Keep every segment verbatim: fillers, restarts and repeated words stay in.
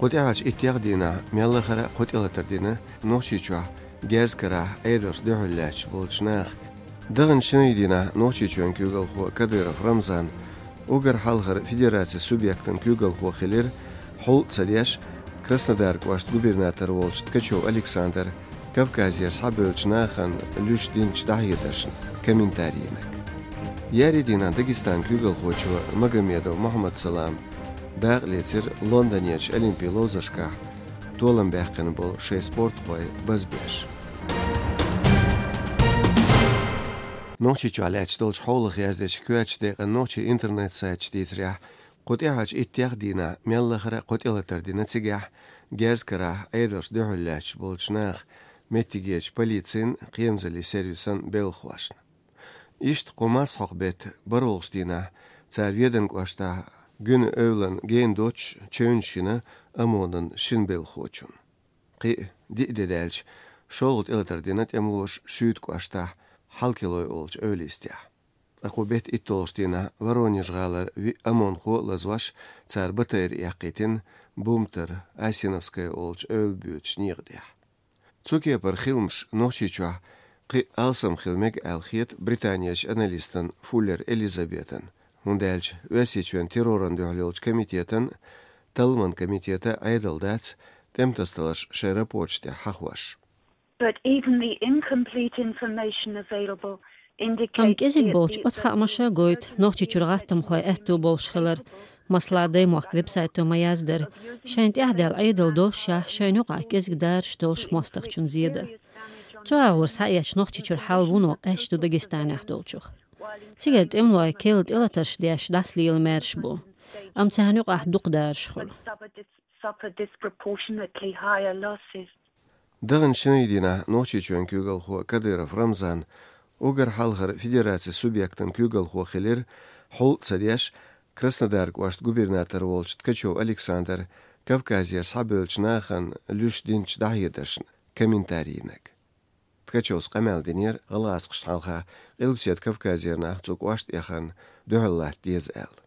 Кху тӀаьхьарчу иттех дийнахь мел лахара а кхо тӀелатар дина Нохчийчохь герз карахь Ӏедалшна дуьхьал лаьтташ болчу наха. Даханчу шинарин дийнахь Нохчийчоьнан куьйгалхо Кадыров Рамзан уггар хьалхара федерацин субъектан куьйгалхо хилира, хьул а ца деш, Краснодар кӀоштан губернатор волчу Ткачев Александр Кавказера схьабевллачу нахана луьйш динчу дӀахьедаршна комментарийниг. Еарин дийнахь Дагестанан куьйгалхочо Магомедов Мухаммад-Салама дакъа лецира Лондонерчу Олимпийн ловзаршкахь толам баьккхина болу шайн спортхой базбеш. Нохчийчохь лаьтташ долчу хьолах яздечу коьртачу декъан нохчийн интернет-сайташа дийцарехь, кху тӀаьхьарчу иттех дийнахь мел лахара а кхо тӀелатар дина цигахь герз карахь Ӏедалшна дуьхьал лаьтташ болчу наха меттигерчу полицин, кхерамзаллин сервисан белхахошна. Иштта кху марсхьокху беттан бархӀалгӀачу дийнахь цара Веданан кӀоштахь Гуьнан эвлана гена доццуш чевнаш йина ОМОНан шина белхахочунна. Кхин а диъ де даьлча, шолгӀа тӀелатар дина тӀемалоша Шуьйтан кӀоштахь Хьалкилой олучу эвла йистехь. Ткъа кху беттан итталгӀачу дийнахь Воронеж-гӀалара виъ ОМОНхо а лазош, цара БТР эккхийтина Бумтар, Асиновская олучу эвла боьдучу некъа тӀехь. Цу кепара хиламаш Нохчийчохь кхин а алсам хила мега аьлла хета британерчу аналистана Фуллер Элизабетана, хӀунда аьлча Оьрсийчоьнан террорна дуьхьал йолчу комитетан, талламан комитетан Ӏедал дац тӀематасадаларш шайн рапорташ тӀехь хьахош. But even the incomplete information available indicates... Амма кӀезиг болчу оцу хаамаша гойту Нохчийчуьра гӀаттамхойн аьтто болуш хилар. Масала, Даймохк веб-сайто ма-яздара, шайна тӀехь даьлла Ӏедал доллушехь, шайна юкъахь кӀезиг дараш долуш мостагӀчунна зен дан. Цу агӀор схьаэцча, Нохчийчуьра хьал вуно къаьсташ ду Дагестанехь долчух. Цигара тӀемалой керла тӀелатарш деш дӀасалела маьрша бу. Амма царна юкъахь дукха дараш хуьлу. Suffer disproportionately higher losses. Даханчу шинарин дийнахь Нохчийчоьнан куьйгалхо Кадыров Рамзан уггар хьалхара федерацин субъектан куьйгалхо хилира, хьул а ца деш, Краснодар кӀоштан губернатор волчу Ткачев Александр Кавказера схьабевллачу нахана луьйш динчу дӀахьедаршна комментарийниг. Ткачевс къамел динера гӀалгӀазкхашна хьалха Къилбаседа Кавказера нах цу кӀоштан эхарна дуьхьал латта деза аьлла.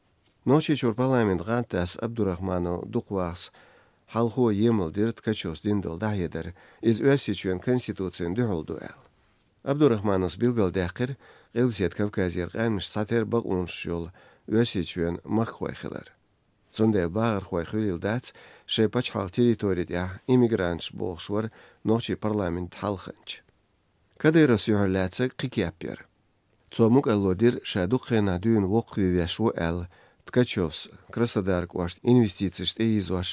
Нохчийчуьра парламентан гӀантдас Абдурахманов Дукхвахас хьалхо емал дира Ткачевс дина долу дӀахьедар, иза Оьрсийчоьнан Конституцина дуьхьал ду аьлла. Абдурахмановс билгалдаьккхира Къилбаседа Кавказера къаьмнашца цхьатерра бакъонаш йолу Оьрсийчоьнан махкахой хилар. Цундела бахархой хуьлийла дац шайн пачхьалкхан территори тӀехь иммигранташ, бохуш вара нохчийн парламентан хьалханча. Кадыровс юьхьарлаьцнарг кхин кеп яра. Цо мукӀарло дира ша дукха хенахь дуьйна воккхаве веш ву аьлла, Ткачевс Краснодар кӀоштан инвестицеш тӀеийзош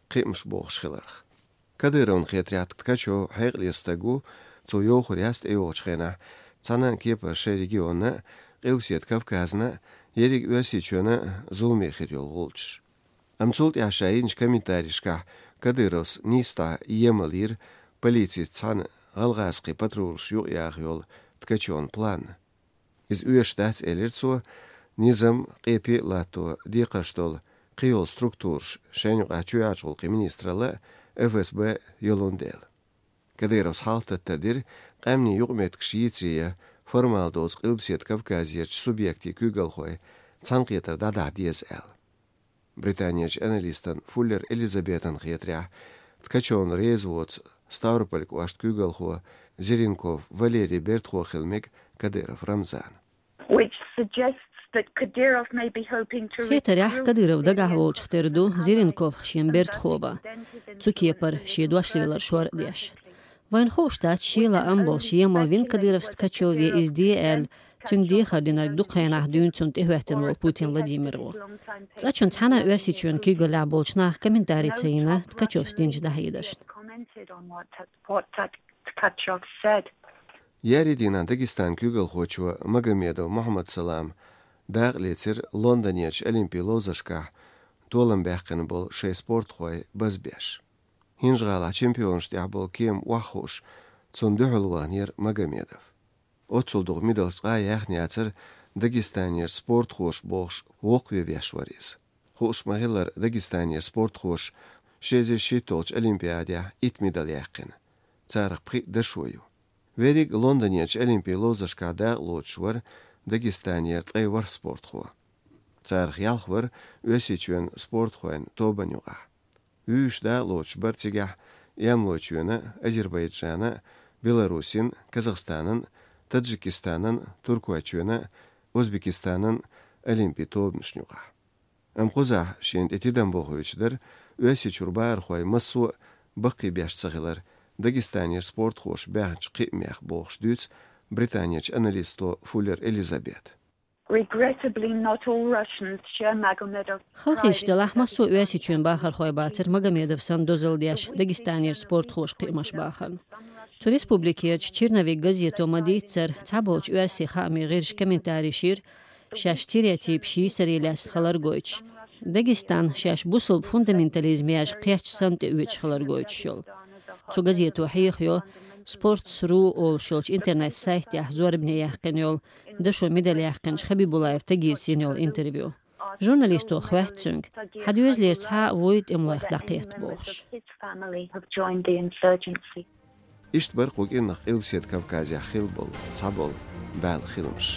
кхиамаш бохуш хиларх. Кадыровна хетарехь, Ткачев хьекъале стаг ву, цо йовхар яц тӀейогӀучу хенахь цхьана а кепара шайн регионна а, Къилбаседа Кавказна а ерриг Оьрсийчоьнна а зуламе хир йолу гӀулчаш. Амма цул тӀаьхьа ша йинчу комментарийшкахь Кадыровс нийса дӀа емал йира полицица цхьаьна гӀалгӀазкхийн патрулаш юкъаяха йолу Ткачевн план. Иза оьшуш дац, элира цо, низам, къепе а латто декхарш долу кхин йолу структураш, шайна юкъахь чоьхьарчу гӀуллакхийн министралла а, ФСБ а йолун дела. Кадыровс хьалхататтар дира, къаьмнийн юкъаметтигаш йийцаре ян формал доцу Къилбаседа Кавказерчу субъектийн куьйгалхой цхьаьнакхетар дӀадахьа деза аьлла. Британерчу аналистан Фуллер Элизабетан хетарехь, Ткачевна реза воцу Ставрополь кӀоштан куьйгалхо Зеренков Валерий бертахо хила мега Кадыров Рамзана. Which suggests that Kadyrov may be hoping to... Хетарехь, Кадыров дагахь волчух тера ду Зеренков шен бертахо бан, цу кепара шен дош лелар шор а деш. Вайна хууш дац, шен лаам болуш емал вина Кадыровс Ткачеве иза де аьлла, цуьнга дехар динарг дукха хенахь дуьйна цунна тӀехӀоьттина волу Путин Владимир ву. ЦӀа чун цхьаьна а Оьрсийчоьнан куьйгаллехь болчу наха комментарий ца йина Ткачевс динчу дӀахьедаршна. Commented on what, what Tkachev's said. Еарин дийнахь Дагестанан куьйгалхочо Магомедов Мухаммад-Салама дакъа лецира Лондонерчу Олимпийн ловзаршкахь толам баьккхина болу шайн спортхой базбеш. ХӀинжа-ГӀалахь чемпионашна тӀехь болу кема охьахууш, цунна дуьхьал ваханера Магомедов. Оццул дукха медалш цкъа а яьхна яцара Дагестанера спортхоша бохуш, воккхаве веш вара иза. Хууш ма-хиллара, Дагестанера спортхоша ши эзар шийтталгӀачу Олимпиадехь итт медаль яьккхина. Царах пхиъ дашо ю. Верриг Лондонерчу Олимпийн ловзаршкахь дакъа лоцуш вара Дагестанера ткъе ворхӀ спортхо. Царах ялх вара Оьрсийчоьнан спортхойн тобанна юкъахь. Вуьйш дакъа лоцуш бара цигахь Ямлочоьнан, Азербайджанан, Беларусин, Казахстанан, Таджикистанан, Туркойчоьнан, Узбекистанан олимпийн тобанашна юкъахь. Амма кхузахь шена тӀе тидам бохуьйтуш дара Оьрсийчуьра бахархой массо а баккхий беш ца хилар, Дагестанера спортхоша баьхначу кхиамех, бохуш дуьйцу Британерчу аналисто Фуллер Элизабета. Regrettably, not all Russians share Magomedov's. Халахеташ делахь, массо а Оьрсийчоьнан бахархой бацара Магомедов санна дозалла деш Дагестанера спортхоша кхиамаш бахарна. Цу республикерчу «Черновик» газето ма-дийццара, цхьаболчу оьрсийн хаамийн гӀирсаша комментареш йира, шаьш стереотипаш йийсаре лаьцна хилар гойтуш, Дагестан шаьш бусалба фундаментализм яьржа кхеттачу санна тӀеоьцуш хилар гойтуш йолу. Цу газето хьехайо «Спортс ру» олуш йолчу интернет-сайтехь зорбане яьккхина йолу, дашо медаль яьккхинчу Хабибулаев Тагирца йина йолу интервью. Журналисто хоьтту цуьнга, хьан доьзалера цхьа а вуй тӀемалойх дӀакхетта бохуш. His family have joined the insurgency. Иштта бара кху кӀирнах Къилбаседа Кавказехь хилла болу цхьаболу баьлла хиламаш.